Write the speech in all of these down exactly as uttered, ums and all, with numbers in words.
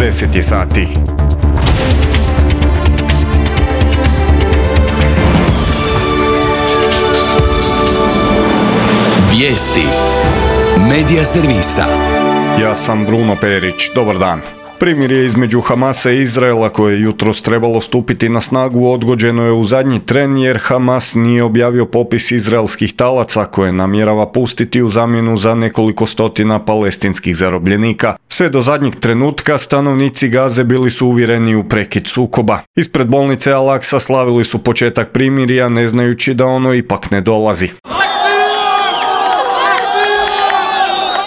deset je sati. Vijesti Medija servisa. Ja sam Bruno Perić, dobar dan. Primirje između Hamasa i Izraela koje je jutros trebalo stupiti na snagu odgođeno je u zadnji tren jer Hamas nije objavio popis izraelskih talaca koje namjerava pustiti u zamjenu za nekoliko stotina palestinskih zarobljenika. Sve do zadnjeg trenutka stanovnici Gaze bili su uvjereni u prekid sukoba. Ispred bolnice Al-Aqsa slavili su početak primirja ne znajući da ono ipak ne dolazi.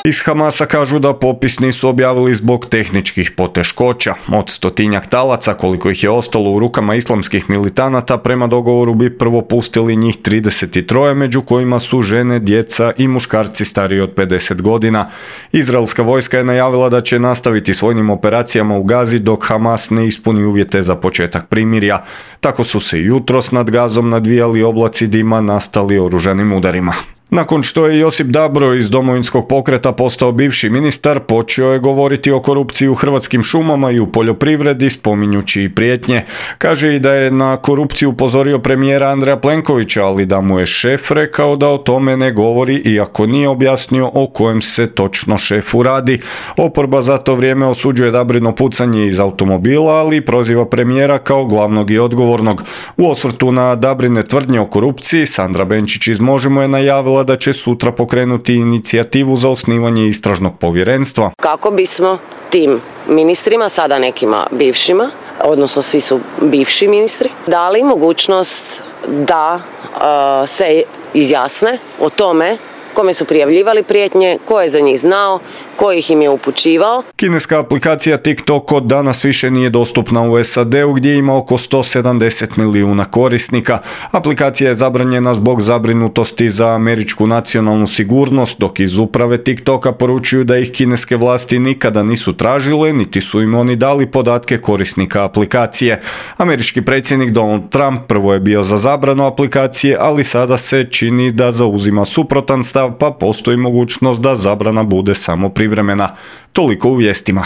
Iz Hamasa kažu da popis nisu objavili zbog tehničkih poteškoća. Od stotinjak talaca, koliko ih je ostalo u rukama islamskih militanata, prema dogovoru bi prvo pustili njih trideset tri, među kojima su žene, djeca i muškarci stariji od pedeset godina. Izraelska vojska je najavila da će nastaviti s vojnim operacijama u Gazi dok Hamas ne ispuni uvjete za početak primirja. Tako su se jutros nad Gazom nadvijali oblaci dima nastali oružanim udarima. Nakon što je Josip Dabro iz Domovinskog pokreta postao bivši ministar, počeo je govoriti o korupciji u Hrvatskim šumama i u poljoprivredi, spominjući i prijetnje. Kaže i da je na korupciju upozorio premijera Andreja Plenkovića, ali da mu je šef rekao da o tome ne govori, iako nije objasnio o kojem se točno šefu radi. Oporba za to vrijeme osuđuje Dabrino pucanje iz automobila, ali proziva premijera kao glavnog i odgovornog. U osvrtu na Dabrine tvrdnje o korupciji, Sandra Benčić iz Možemo je najavila da će sutra pokrenuti inicijativu za osnivanje istražnog povjerenstva. Kako bismo tim ministrima, sada nekima bivšima, odnosno svi su bivši ministri, dali mogućnost da uh, se izjasne o tome kome su prijavljivali prijetnje, ko je za njih znao, ko ih im je upućivao. Kineska aplikacija TikTok od danas više nije dostupna u S A D-u gdje ima oko sto sedamdeset milijuna korisnika. Aplikacija je zabranjena zbog zabrinutosti za američku nacionalnu sigurnost, dok iz uprave TikToka poručuju da ih kineske vlasti nikada nisu tražile, niti su im oni dali podatke korisnika aplikacije. Američki predsjednik Donald Trump prvo je bio za zabranu aplikacije, ali sada se čini da zauzima suprotan stav, pa postoji mogućnost da zabrana bude samo privremena. Toliko u vijestima.